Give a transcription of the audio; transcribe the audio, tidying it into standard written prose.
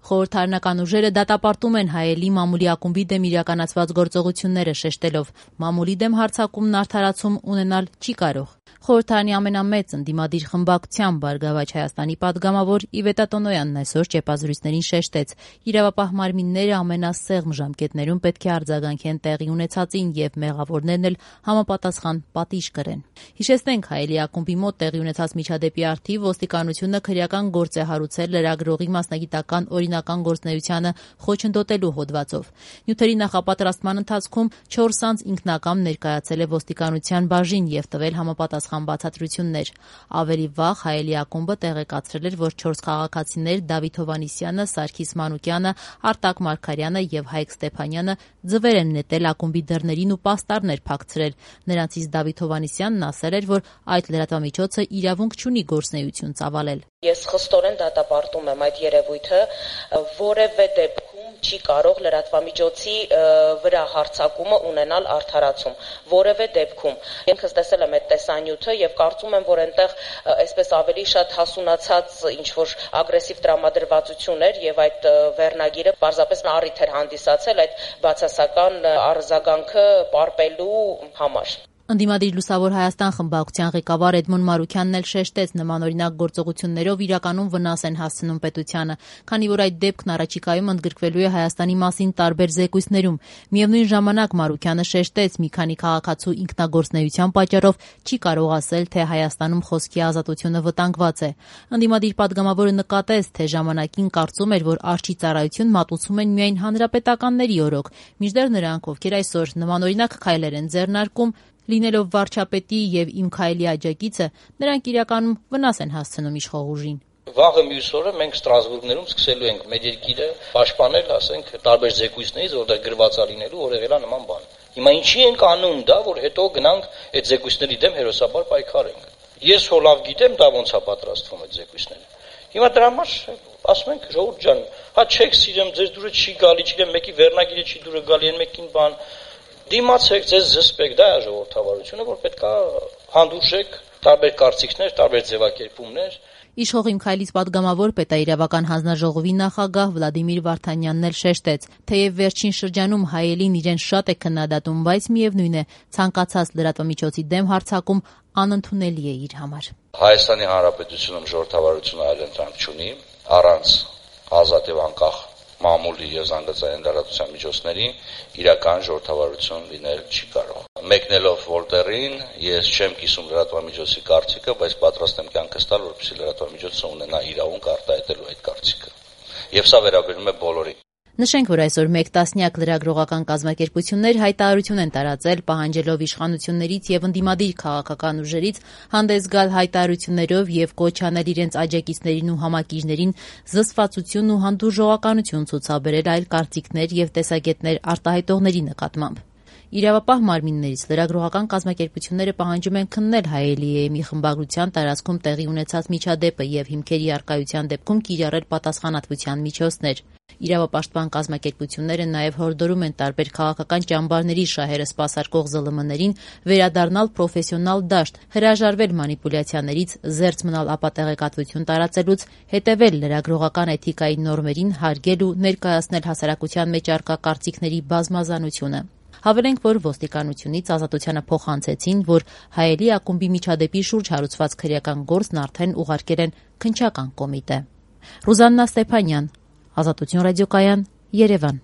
Խորհրդարանական ուժերը դատապարտում են Հայելի մամուլի ակումբի դեմ իրականացված գործողությունները, շեշտելով՝ մամուլի դեմ հարձակումն արդարացում ունենալ չի կարող։ Խորհրդարանի ամենամեծ ընդդիմադիր խմբակցության «Բարգավաճ Հայաստանի» պատգամավոր Իվետա Տոնոյանն այսօր ճեպազրույցներին շեշտեց՝ իրավապահ մարմինները ամենասեղմ ժամկետներում պետք է արձագանքեն տեղի ունեցածին եւ մեղավորներն էլ համապատասխան պատիժ կրեն։ Հիշեցնենք, Հայելի ակումբի մոտ տեղի ունեցած միջադեպի առթիվ ոստիկանությունը քրեական գործ է հարուցել լրագրողի մասնագիտական օրինական գործունեությանը խոչընդոտելու հոդվածով։ Նյութերի նախապատրաստման ընթացքում 4 անձ ինքնակամ ներկայացել է ոստիկանության բաժին եւ տվել համապատասխան բացատրություններ։ Ավելի վաղ Հայելի ակումբը տեղեկացրել էր, որ 4 քաղաքացիներ Դավիթ Հովհաննիսյանը, Սարգիս Մանուկյանը, Արտակ Մարգարյանը եւ Հայկ Ստեփանյանը ձվեր են նետել ակումբի դռներին ու պաստառներ փակցրել։ Նրանցից Դավիթ Հովհաննիսյանն ասել էր, որ այդ լրատվամիջոցը իրավունք չունի գործունեություն ծավալել։ Ես խստորեն դատապարտում եմ այդ երևույթը, որևէ դեպքում չի կարող լրատվամիջոցի վրա հարձակումը ունենալ արդարացում, որևէ դեպքում։ Ինքս տեսել եմ այդ տեսանյութը եւ կարծում եմ, որ այնտեղ այսպես ավելի շատ հասունացած ինչ-որ ագրեսիվ տրամադրվածություն էր եւ այդ վերնագիրը պարզապես առիթ էր հանդիսացել այդ բացասական արձագանքը պարպելու համար։ Ընդդիմադիր Լուսավոր Հայաստան խմբակցության ղեկավար Էդմոն Մարուքյանն էլ շեշտեց՝ նմանօրինակ գործողություններով իրականում վնաս են հասցնում պետությանը, քանի որ այդ դեպքն առաջիկայում ընդգրկվելու է Հայաստանի մասին տարբեր զեկույցներում։ Միևնույն ժամանակ Մարուքյանը շեշտեց՝ մի քանի քաղաքացու ինքնագործունեության պատճառով չի կարող ասել, թե Հայաստանում խոսքի ազատությունը վտանգված է։ Ընդդիմադիր պատգամավորը նկատեց, թե ժամանակին կարծում էր, որ արջի ծառայություն մատուցում են միայն հանրապետականների օրոք, մինչդեռ նրանք, ովքեր այսօր նմանօրինակ քայլեր են ձեռնարկում, լինելով վարչապետի եւ Իմ Քայլի աջակիցը, նրանք իրականում վնաս են հասցնում իշխող ուժին։ Վաղը մյուս օրը մենք Ստրասբուրգներում սկսելու ենք մեր երկիրը պաշտպանել, ասենք, տարբեր զեկույցներից, որտեղ գրված է լինելու, որ եղել է նման բան։ Հիմա ինչի ենք անում դա, որ հետո գնանք այդ զեկույցների դեմ հերոսաբար պայքարենք։ Ես հո լավ գիտեմ դա ոնց է պատրաստվում այդ զեկույցները։ Հիմա դրա համար ասում ենք ժողովուրդ ջան, հա չեք սիրեմ, ձեր դուրը չի գալի, չգիտեմ, մեկի վերնագիրը չի դուրը գալի, այն մեկին բան դիմացեք, ձեզ զսպեք, դա է ժողովրդավարությունը, որ պետքա հանդուրժեք տարբեր կարծիքներ, տարբեր ձևակերպումներ։ Իշխող Իմ Քայլից պատգամավոր պետաիրավական հանձնաժողովի նախագահ Վլադիմիր Վարդանյանն էլ շեշտեց, թեև վերջին շրջանում Հայելին իրեն շատ է քննադատում, բայց միևնույն է, ցանկացած լրատվամիջոցի դեմ հարձակում անընդունելի է իր համար։ Հայաստանի Հանրապետությունում ժողովրդավարությունը այլընտրանք չունի, առանց ազատ եւ անկախ մամուլի եւ զանգվածային լրատվության միջոցների իրական ժողովրդավարություն լինել չի կարող։ Մեկնելով Վոլտերին, ես չեմ կիսում լրատվամիջոցի կարծիքը, բայց պատրաստ եմ կյանքս տալ, որպեսզի լրատվամիջոցը ունենա իրավունք արտահայտելու այդ կարծիքը։ Եվ սա վերաբերում է բոլորին։ Նշենք, որ այսօր 1 տասնյակ լրագրողական կազմակերպություններ հայտարարություն են տարածել, պահանջելով իշխանություններից եւ ընդդիմադիր քաղաքական ուժերից հանդես գալ հայտարարություններով եւ կոչ անել իրենց աջակիցներին ու համակիջներին զսպվածություն ու հանդուրժողականություն ցուցաբերել այլ կարծիքներ եւ տեսակետներ արտահայտողների նկատմամբ։ Իրավապահ մարմիններից լրագրողական կազմակերպությունները պահանջում են քննել Հայելի խմբագրության տարածքում տեղի ունեցած միջադեպը եւ հիմքերի առկայության դեպքում կիրառել պատասխանատվության միջոցներ։ Իրավապաշտպան կազմակերպությունները նաեւ հորդորում են տարբեր քաղաքական ճամբարների շահերը սպասարկող ԶԼՄ-ներին վերադառնալ պրոֆեսիոնալ դաշտ, հրաժարվել մանիպուլյացիաներից, զերծ մնալ ապատեղեկատվություն տարածելուց, հետեւել լրագրողական էթիկայի նորմերին, հարգել ու ներկայացնել հասարակության մեջ առկա կարծիքների բազմազանությունը։ Հավելենք, որ ոստիկանությունից ազատությանը փոխանցեցին, որ Հայելի ակումբի միջադեպի շուրջ հարուցված քրեական գործն արդեն ուղարկել են քննչական կոմիտե։ Ռուզաննա Ստեփանյան, Ազատություն ռադիոկայան, Երևան։